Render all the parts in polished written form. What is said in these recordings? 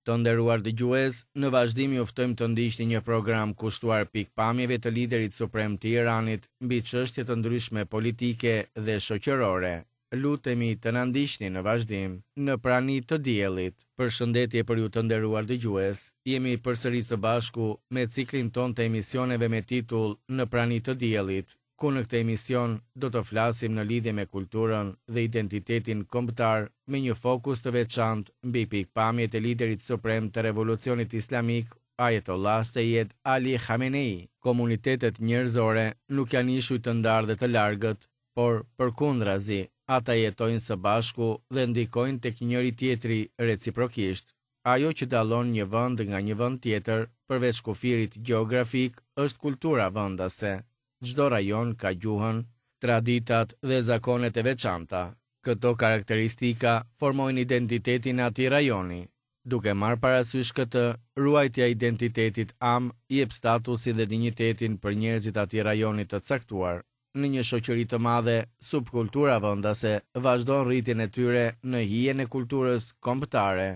Të nderuar dëgjues, në vazhdim ju ftojmë të ndiqni një program kushtuar pikëpamjeve të liderit suprem të Iranit mbi çështje të ndryshme politike dhe shoqërore. Lutemi të na ndiqni në vazhdim. Në prani të diellit. Përshëndetje për ju të nderuar dëgjues. Jemi përsëri së bashku me ciklin tonë të emisioneve me titull Në prani të diellit, ku në këtë emision do të flasim në lidhje me kulturën dhe identitetin kombëtar me një fokus të veçantë mbi pikëpamjet e liderit suprem të Revolucionit Islamik, Ayatollah Seyed Ali Khamenei. Komunitetet njerëzore nuk janë ishuj të ndarë dhe të largët, por përkundrazi, ata jetojnë së bashku dhe ndikojnë tek njëri-tjetri reciprokisht. Ajo që dallon një vend nga një vend tjetër, përveç kufirit gjeografik, është kultura vendase. Çdo rajon ka gjuhën, traditat dhe zakonet e veçanta. Këto karakteristika formojnë identitetin e atij rajoni. Duke marrë parasysh këtë, ruajtja e identitetit amë jep statusin dhe dinjitetin për njerëzit e atij rajoni të caktuar. Në një shoqëri të madhe, subkultura vendase vazhdon rritjen e tyre në hijen e kulturës kombëtare.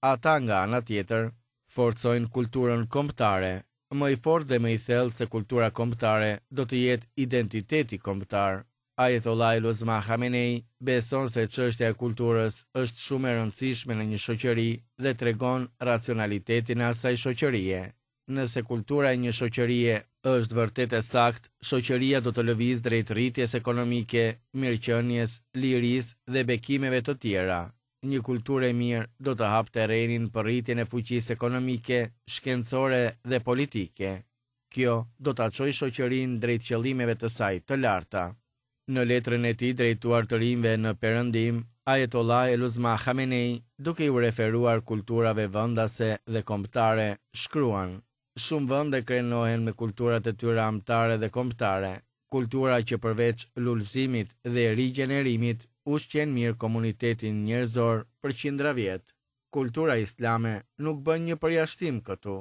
Ata nga ana tjetër, forcojnë kulturën kombëtare. Më i fortë dhe më i thellë se kultura kombëtare do të jetë identiteti kombëtar. Ayatollah el-Uzma Khamenei beson se çështja e kulturës është shumë e rëndësishme në një shoqëri dhe tregon racionalitetin e asaj shoqërie. Nëse kultura e një shoqërie është vërtet e saktë, shoqëria do të lëvizë drejt rritjes ekonomike, mirëqenies, lirisë dhe bekimeve të tjera. Një kulturë e mirë do të hapë terrenin për rritjen e fuqisë ekonomike, shkencore dhe politike. Kjo do ta çojë shoqërinë drejt qëllimeve të saj të larta. Në letrën e tij drejtuar të rinjve në Perëndim, Ayatollah el-Uzma Khamenei, duke iu referuar kulturave vendase dhe kombëtare, shkruan, Shumë vende krenohen me kulturat e tyre amtare dhe kombëtare, kultura që përveç lulëzimit dhe rigjenerimit, ushqen mirë komunitetin njerëzor për qindra vjet. Kultura islame nuk bën një përjashtim këtu.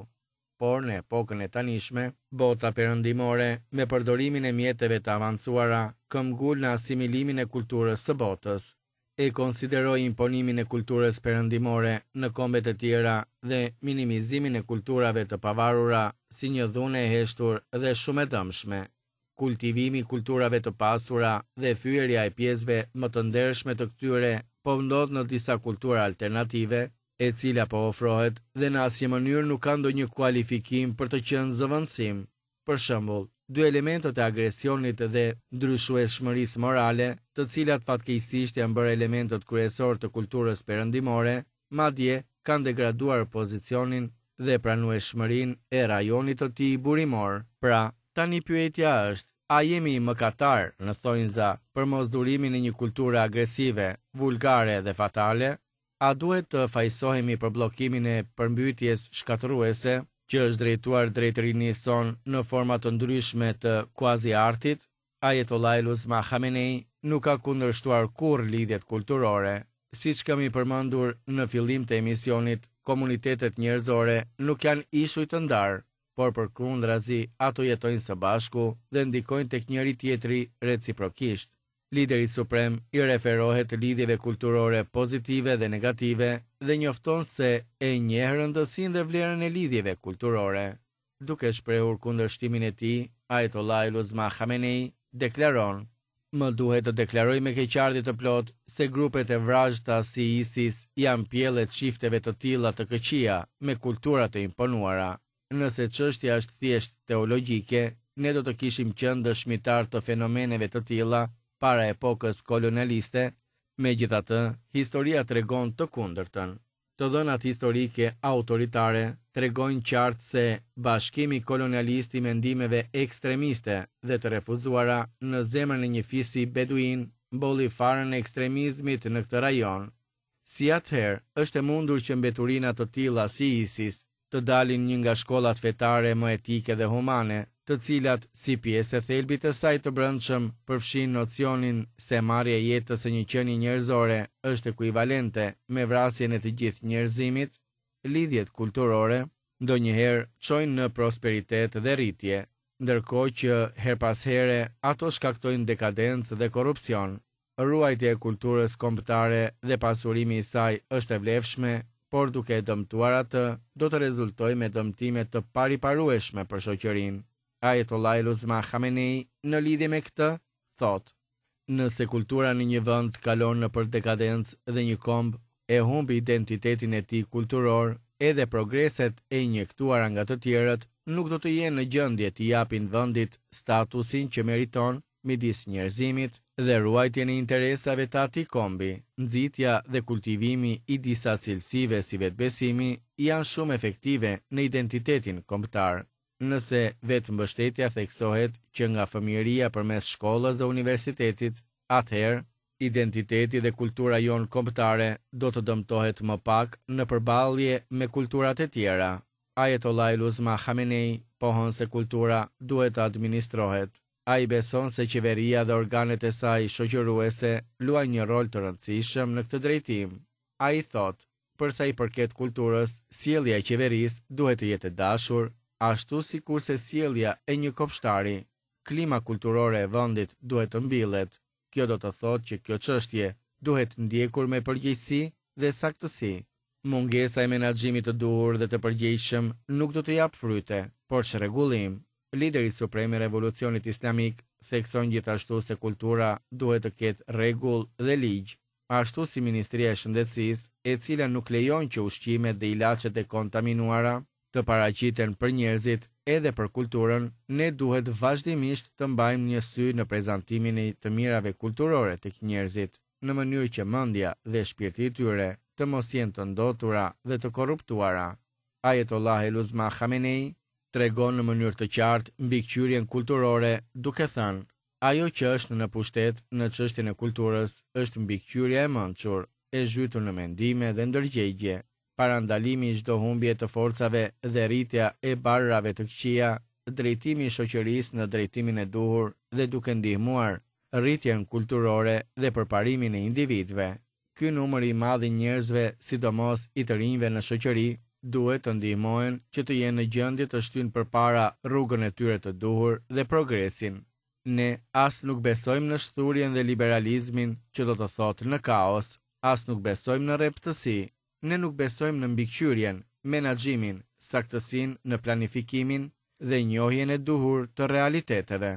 Por në epokën e tanishme, bota perëndimore, me përdorimin e mjeteve të avancuara, këmbgul në asimilimin e kulturës së botës. E konsideroj imponimin e kulturës perëndimore në kombet e tjera dhe minimizimin e kulturave të pavarura si një dhunë e heshtur dhe shumë e dëmshme. Kultivimi i kulturave të pasura dhe fyerja e pjesëve më të ndershme të këtyre po ndodh në disa kultura alternative, e cila po ofrohet dhe në asnjë mënyrë nuk ka ndonjë kualifikim për të qenë zëvendësim. Për shembull, dy elementët e agresionit dhe ndryshueshmërisë morale, të cilat fatkeqësisht janë bërë elementët kryesorë të kulturës perëndimore, madje kanë degraduar pozicionin dhe pranueshmërinë e rajonit të tij burimor. Pra, tani pyetja është, a jemi mëkatarë, në thonjza, për mosdurimin e një kulture agresive, vulgare dhe fatale? A duhet të fajësohemi për bllokimin e përmbytjes shkatërruese, që është drejtuar drejt rinisë sonë në forma të ndryshme të kuazi-artit? Ayatollah el-Uzma Khamenei nuk ka kundërshtuar kurrë lidhjet kulturore. Siç kemi përmendur në fillim të emisionit, komunitetet njerëzore nuk janë ishuj të ndarë, por përkundrazi ato jetojnë së bashku dhe ndikojnë tek njëri-tjetri reciprokisht. Lideri suprem i referohet lidhjeve kulturore pozitive dhe negative dhe njofton se e njeh rëndësinë dhe vlerën e lidhjeve kulturore. Duke shprehur kundërshtimin e tij, Ayatollah el-Uzma Khamenei deklaron, Më duhet të deklaroj me keqardhje të plotë se grupet e vrazhda si ISIS janë pjellë e çifteve të tilla të këqija me kultura të imponuara. Nëse çështja është thjesht teologjike, ne do të kishim qenë dëshmitarë të fenomeneve të tilla para epokës kolonialiste, megjithatë, historia tregon të kundërtën. Të dhënat historike autoritare tregojnë qartë se bashkimi kolonialist i mendimeve ekstremiste dhe të refuzuara në zemrën e një fisi beduin mbolli farën e ekstremizmit në këtë rajon. Si atëherë është e mundur që mbeturina të tilla si ISIS të dalin një nga shkollat fetare më etike dhe humane, të cilat, si pjesë e thelbit të saj të brendshëm, përfshijnë nocionin se marrja e jetës së një qenie njerëzore është ekuivalente me vrasjen e të gjithë njerëzimit? Lidhjet kulturore ndonjëherë çojnë në prosperitet dhe rritje, ndërkohë që herë pas here ato shkaktojnë dekadencë dhe korrupsion. Ruajtja e kulturës kombëtare dhe pasurimi i saj është e vlefshme. por duke e dëmtuar atë, do të rezultojë me dëmtime të pariparueshme për shoqërinë. Ajetollahil Uzma Khamenei në lidhje me këtë, thotë, Nëse kultura në një vend kalon nëpër dekadencë dhe një komb e humb identitetin e tij kulturor, edhe progreset e injektuara nga të tjerët nuk do të jenë në gjendje t'i japin vendit statusin që meriton midis njerëzimit dhe ruajtjen e interesave të atij kombi, nxitja dhe kultivimi i disa cilësive si vetëbesimi janë shumë efektive në identitetin kombëtar. Nëse vetëmbështetja theksohet që nga fëmijëria përmes shkollës dhe universitetit, atëherë, identiteti dhe kultura jonë kombëtare do të dëmtohet më pak në përballje me kulturat e tjera. Ajetollahil Uzma Khamenei pohon se kultura duhet të administrohet. Ai beson se qeveria dhe organet e saj shoqëruese luajnë një rol të rëndësishëm në këtë drejtim. Ai thotë, Për sa i përket kulturës, sjellja e qeverisë duhet të jetë e dashur, ashtu sikurse sjellja e një kopshtari. Klima kulturore e vendit duhet të mbillet. Kjo do të thotë që kjo çështje duhet ndjekur me përgjegjësi dhe saktësi. Mungesa e menaxhimit të duhur dhe të përgjegjshëm nuk do të japë fryte, por çrregullim. Lideri suprem i Revolucionit Islamik thekson gjithashtu se kultura duhet të ketë rregull dhe ligj, ashtu si Ministria e Shëndetësisë, e cila nuk lejon që ushqimet dhe ilaçet e kontaminuara të paraqiten për njerëzit, edhe për kulturën, ne duhet vazhdimisht të mbajmë një sy në prezantimin e të mirave kulturore tek njerëzit, në mënyrë që mendja dhe shpirti i tyre të mos jenë të ndotura dhe të korruptuara. Ajetollahil Uzma Khamenei tregon në mënyrë të qartë mbikëqyrjen kulturore duke thënë, Ajo që është në pushtet në çështjen e kulturës është mbikëqyrja e mençur, e zhytur në mendime dhe ndërgjegje, parandalimi i çdo humbje të forcave dhe rritja e barërave të këqija, drejtimi i shoqërisë në drejtimin e duhur dhe duke ndihmuar rritjen kulturore dhe përparimin e individëve. Ky numër i madh i njerëzve, sidomos i të rinjve në shoqëri, duhet të ndihmohen që të jenë në gjendje të shtyjnë përpara rrugën e tyre të duhur dhe progresin. Ne as nuk besojmë në shthurjen dhe liberalizmin që do të thotë në kaos, as nuk besojmë në rreptësi. Ne nuk besojmë në mbikëqyrjen, menaxhimin, saktësinë në planifikimin dhe njohjen e duhur të realiteteve.